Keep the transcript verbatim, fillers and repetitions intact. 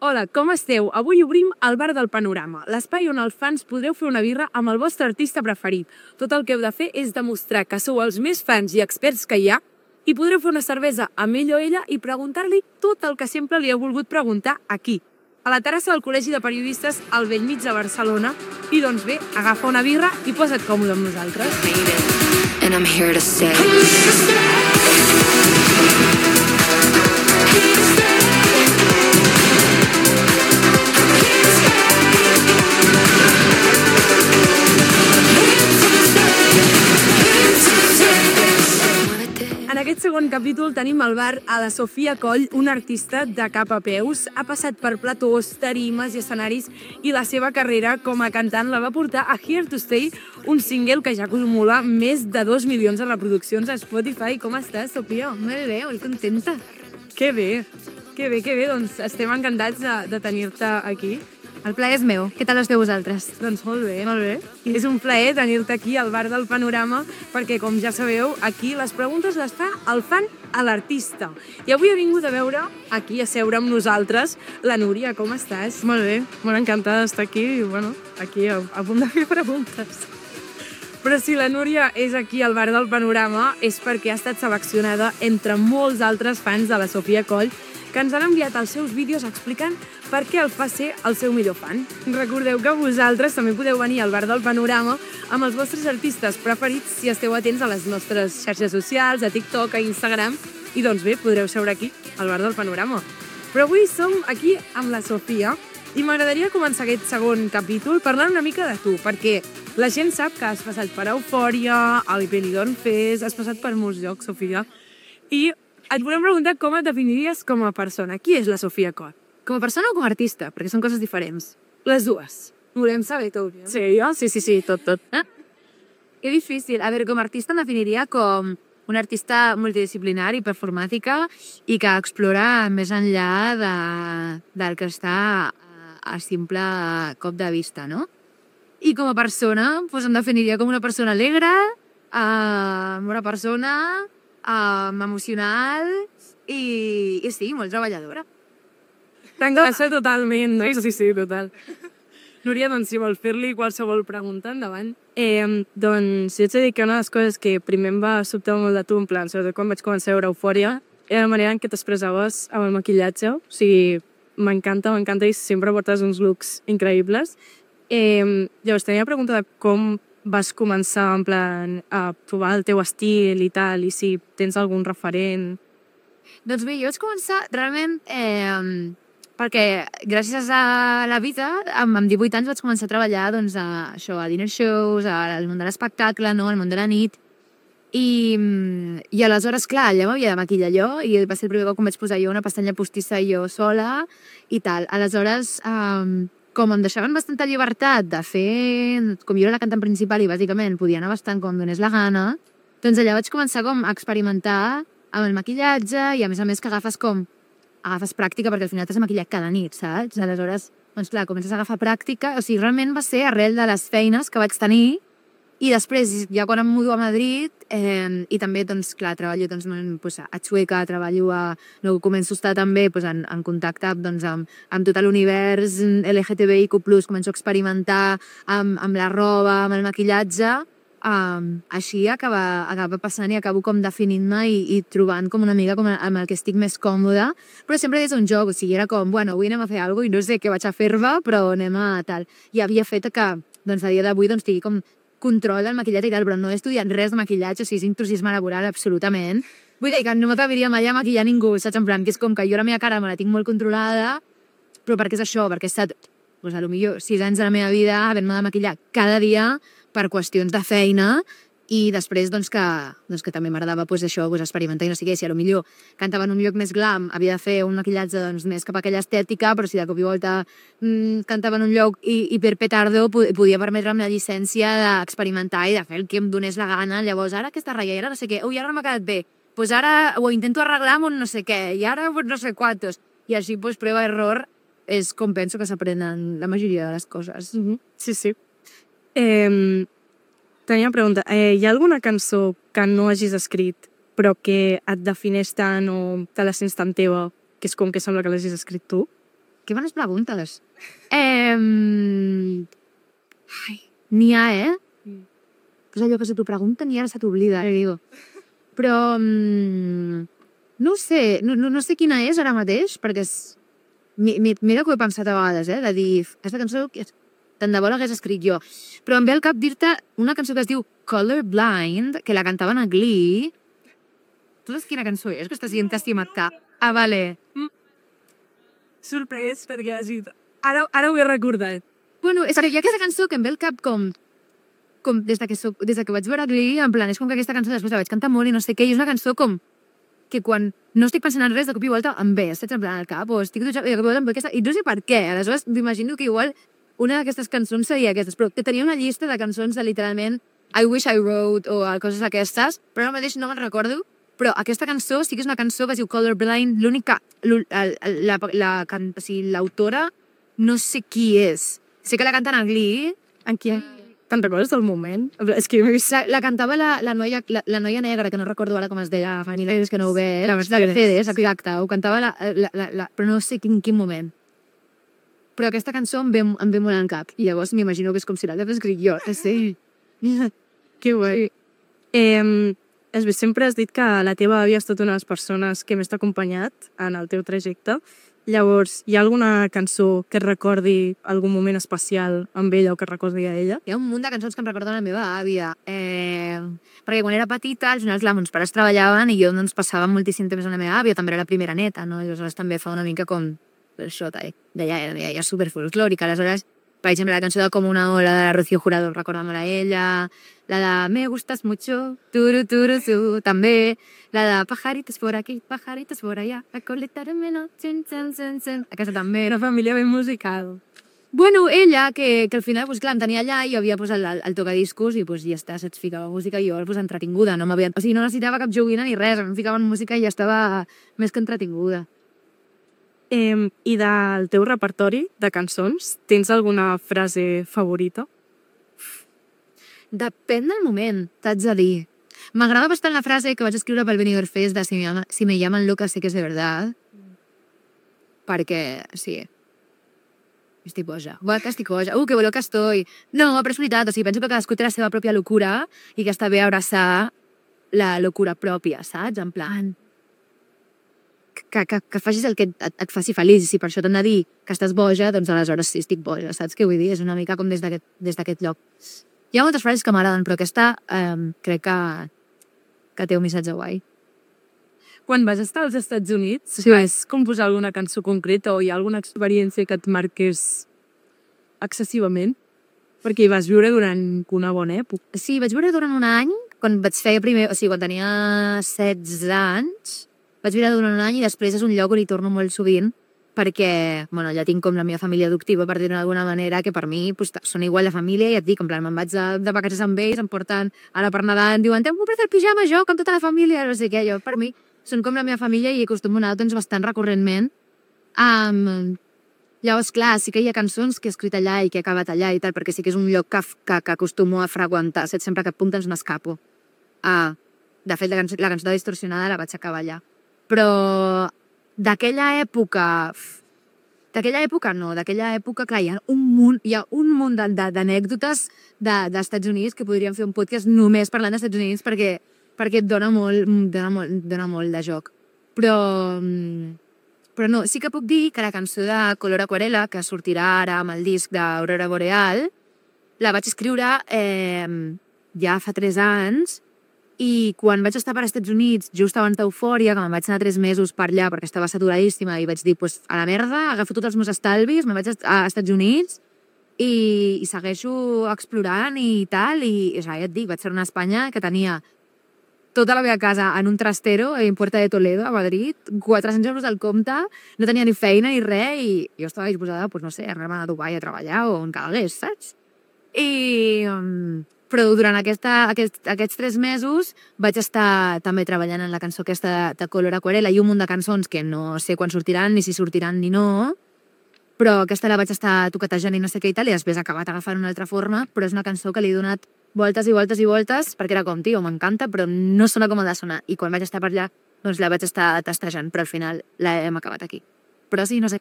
Hola, com esteu? Avui obrim el Bar del Panorama, l'espai on els fans podreu fer una birra amb el vostre artista preferit. Tot el que heu de fer és demostrar que sou els més fans i experts que hi ha i podreu fer una cervesa amb ell o ella i preguntar-li tot el que sempre li heu volgut preguntar aquí, a la terrassa del Col·legi de Periodistes al Bellmig de Barcelona. I doncs bé, agafa una birra i posa't còmode amb nosaltres. And I'm here to stay. En aquest segon capítol tenim al bar a la Sofia Coll, una artista de cap a peus. Ha passat per platós, tarimes i escenaris i la seva carrera com a cantant la va portar a Here to Stay, un single que ja acumula més de dos milions de reproduccions a Spotify. Com estàs, Sofia? Molt bé, molt contenta. Que bé, que bé, que bé. Doncs estem encantats de, de tenir-te aquí. El plaer és meu. Què tal esteu vosaltres? Doncs molt bé, molt bé. És un plaer tenir-te aquí al Bar del Panorama perquè, com ja sabeu, aquí les preguntes les fa el fan a l'artista. I avui ha vingut a veure aquí, a seure amb nosaltres, la Núria. Com estàs? Molt bé, molt encantada d'estar aquí i, bueno, aquí a, a punt de fer preguntes. Però si la Núria és aquí al Bar del Panorama és perquè ha estat seleccionada entre molts altres fans de la Sofia Coll que ens han enviat els seus vídeos explicant per què el fa ser el seu millor fan. Recordeu que vosaltres també podeu venir al Bar del Panorama amb els vostres artistes preferits si esteu atents a les nostres xarxes socials, a TikTok, a Instagram, i doncs bé, podreu seure aquí, al Bar del Panorama. Però avui som aquí amb la Sofia i m'agradaria començar aquest segon capítol parlant una mica de tu, perquè la gent sap que has passat per Eufòria, al Benidorm Fest, has passat per molts llocs, Sofia, i et volem preguntar com et definiries com a persona. Qui és la Sofia Coll? Com a persona o com a artista? Perquè són coses diferents. Les dues. Volem saber tot. Ja? Sí, jo? Sí, sí, sí, tot, tot. Eh? Que difícil. A veure, com a artista em definiria com una artista multidisciplinària i performàtica i que explora més enllà de, del que està a, a simple cop de vista, no? I com a persona, doncs em definiria com una persona alegre, eh, una persona Um, emocional i, i sí, molt treballadora. T'encaixa totalment, no? Sí, sí, total. Núria, doncs, si vol fer-li qualsevol pregunta, endavant. Eh, doncs, jo ets a dir que una de les coses que primer em va sobtar molt de tu, en plan, sobretot quan vaig començar a veure Eufòria, era la manera en què t'expressaves amb el maquillatge. O sigui, m'encanta, m'encanta i sempre portes uns looks increïbles. Eh, llavors, tenia la pregunta de com vas començar en plan a trobar el teu estil i tal, i si tens algun referent? Doncs bé, jo vaig començar realment eh, perquè gràcies a la vida, amb, amb divuit anys vaig començar a treballar doncs, a, això, a dinner shows, al món de l'espectacle, no? Al món de la nit, i, i aleshores, clar, allà m'havia de maquillar jo i va ser el primer cop que em vaig posar jo una pestanya postissa jo sola i tal. Aleshores, eh, com em deixaven bastanta llibertat de fer, com jo era la cantant principal i bàsicament podia anar bastant com em donés la gana, doncs allà vaig començar com a experimentar amb el maquillatge i a més a més que agafes com, agafes pràctica perquè al final t'has de maquillar cada nit, saps? Aleshores, doncs clar, comences a agafar pràctica, o sigui, realment va ser arrel de les feines que vaig tenir i després, ja quan em mudo a Madrid, eh, i també, doncs, clar, treballo doncs, pues, a Chueca, treballo a... No, començo a estar també pues, en, en contacte doncs, amb, amb tot l'univers L G T B I Q plus, començo a experimentar amb, amb la roba, amb el maquillatge, um, així acaba, acaba passant i acabo com definint-me i, i trobant com una mica com amb el que estic més còmoda, però sempre des d'un joc, o sigui, era com, bueno, avui anem a fer alguna cosa i no sé què vaig a fer-me, però anem a tal. I havia fet que, doncs, a dia d'avui, doncs, tingui com control del maquillatge i tal, però no he estudiat res de maquillatge, o sigui, és intrusisme laboral absolutament. Vull dir que no m'atreviria mai a maquillar ningú, saps? En plan, que és com que jo la meva cara me la tinc molt controlada, però perquè és això, perquè he estat, doncs, a lo millor sis anys de la meva vida havent-me de maquillar cada dia per qüestions de feina i després, doncs, que, doncs, que també m'agradava pues, això, pues, experimentar i no sé què, si a lo millor cantava en un lloc més glam, havia de fer un maquillatge doncs, més cap a aquella estètica, però si de cop i volta mmm, cantava en un lloc i, i per petardo podia permetre'm la llicència d'experimentar i de fer el que em donés la gana. Llavors, ara aquesta ratlla, i ara no sé què, ui, ara no m'ha quedat bé, pues ara ho intento arreglar amb un no sé què, i ara pues, no sé quantos. I així, pues, prova-error, és com penso que s'aprenen la majoria de les coses. Mm-hmm. Sí, sí. Eh... Tenia una pregunta. Eh, hi ha alguna cançó que no hagis escrit però que et defineix tant o te la sents tan teva que és com que sembla que l'hagis escrit tu? Que bones preguntes. Eh... Ai, n'hi ha, eh? Mm. És allò que se t'ho pregunten i ara se t'oblida, eh, digo. Però... Mm, no sé, no, no, no sé quina és ara mateix, perquè és... Mira que ho he pensat a vegades, eh? De dir, aquesta cançó, tant de bo l'hagués escrit jo. Però em ve al cap dir-te una cançó que es diu Colorblind, que la cantaven a Glee. Tu saps quina cançó és? Que estàs dient estimat cap. Ah, vale. Mm. Sorprès, perquè has dit... Ara, ara ho he recordat. Bueno, és que hi ha aquesta cançó que em ve al cap com... com des de que, soc, des de que vaig veure Glee, en plan, és com que aquesta cançó després la vaig cantar molt i no sé què, i és una cançó com que quan no estic pensant en res, de cop i volta em ve, saps, en plan, al cap, o estic dutxant, i de cop i volta em ve aquesta... I no sé per què, aleshores m'imagino que igual una d'aquestes cançons seria aquestes, però que tenia una llista de cançons de literalment I Wish I Wrote o coses d'aquestes, però ara mateix no me'n recordo. Però aquesta cançó sí que és una cançó que es diu Colorblind, l'única... L'autora no sé qui és. Sé que la canten a Glee. En qui? Te'n recordes del moment? És que la, la cantava la, la, noia, la, la noia negra, que no recordo ara com es deia, fa mil anys que no ho ve, la Mercedes, exacte, ho cantava la, la, la, la, però no sé quin, quin moment. Però aquesta cançó em ve, em ve molt al cap, i llavors m'imagino que és com si l'hagués escrit jo. Sí. Que guai. Eh, és bé, sempre has dit que la teva àvia ha estat una de les persones que més t'ha acompanyat en el teu trajecte. Llavors, hi ha alguna cançó que et recordi algun moment especial amb ella o que et recordi a ella? Hi ha un munt de cançons que em recorden la meva àvia. Eh, perquè quan era petita, al final, clar, meus pares treballaven i jo doncs, passava moltíssim temps amb la meva àvia, també era la primera neta, no? Llavors també fa una mica com això, d'allà era, era superfolclòrica. Aleshores, per exemple, la cançó de Com una ola de la Rocío Jurado, recordant-me-la a ella, la de Me gustas mucho, turu, turu, tu, també, la de Pajaritos por aquí, pajaritos por allá, la coleta de menos, txen, txen, txen, txen. Aquesta també. Una família ben musical. Bueno, ella, que, que al final, pues, clar, em tenia allà i jo havia posat el, el tocadiscos i pues, ja està, se't ficava música i jo pues, entretinguda. No m'havia... O sigui, no necessitava cap joguina ni res, em ficava en música i ja estava més que entretinguda. Eh, I del teu repertori de cançons, tens alguna frase favorita? Depèn del moment, t'haig de dir. M'agrada bastant la frase que vaig escriure pel Benidorm Fest de si me, llama, si me llaman loca sé que és de verdad. Perquè, sí, estic boja. Uah, que estic boja. Uh, que bo que estoy. No, però és veritat, o sigui, penso que cadascú té la seva pròpia locura i que està bé abraçar la locura pròpia, saps? En plan... Que, que, que facis el que et, et faci feliç, i si per això t'han de dir que estàs boja, doncs aleshores sí, estic boja, saps què vull dir? És una mica com des d'aquest lloc. Hi ha moltes frases que m'agraden, però aquesta eh, crec que, que té un missatge guai. Quan vas estar als Estats Units, sí. Vas composar alguna cançó concreta o hi ha alguna experiència que et marqués excessivament? Perquè hi vas viure durant una bona època. Sí, vaig viure durant un any, quan vaig fer primer, o sigui, quan tenia setze anys, vaig viure durant un any i després és un lloc on hi torno molt sovint perquè, bueno, ja tinc com la meva família adoptiva, per dir-ho d'alguna manera, que per mi pues, són igual de família i et dic, en plan, me'n vaig de, de vacances amb ells, em porten ara per Nadal, em diuen, t'hem comprat el pijama jo, com tota la família, no sé què, jo, per mi, són com la meva família i acostumo a anar doncs, bastant recurrentment. Um, llavors, clar, sí que hi ha cançons que he escrit allà i que he acabat allà i tal, perquè sí que és un lloc que, que, que acostumo a freqüentar, saps? Sempre que et puntes m'escapo. Ah, de fet, la cançó, la cançó de Distorsionada la vaig acabar allà. Però d'aquella època... D'aquella època no, d'aquella època, clar, hi ha un munt, hi ha un munt d'anècdotes de, d'Estats Units que podríem fer un podcast només parlant d'Estats Units perquè, perquè et dona molt, dona, molt, dona molt de joc. Però, però no, sí que puc dir que la cançó de Color Aquarela, que sortirà ara amb el disc d'Aurora Boreal, la vaig escriure eh, ja fa tres anys. I quan vaig estar per als Estats Units, just abans d'Eufòria, que me'n vaig anar tres mesos per allà perquè estava saturadíssima i vaig dir, pues, a la merda, agafo tots els meus estalvis, me'n vaig a Estats Units i, i segueixo explorant i tal. I, o sigui, ja et dic, vaig ser a Espanya que tenia tota la meva casa en un trastero en Puerta de Toledo, a Madrid, quatre-cents euros al compte, no tenia ni feina ni res i jo estava disposada, pues, no sé, a anar-me a Dubai a treballar o on calgués, saps? I... Um, però durant aquesta, aquest, aquests tres mesos vaig estar també treballant en la cançó aquesta de Color Aquarela i un munt de cançons que no sé quan sortiran, ni si sortiran ni no, però aquesta la vaig estar toquetejant i no sé què i tal, i després ha acabat agafant una altra forma, però és una cançó que li he donat voltes i voltes i voltes, perquè era com, tio, m'encanta, però no sona com ha de sonar. I quan vaig estar per allà, doncs la vaig estar tastejant, però al final l'hem acabat aquí. Però sí, no sé,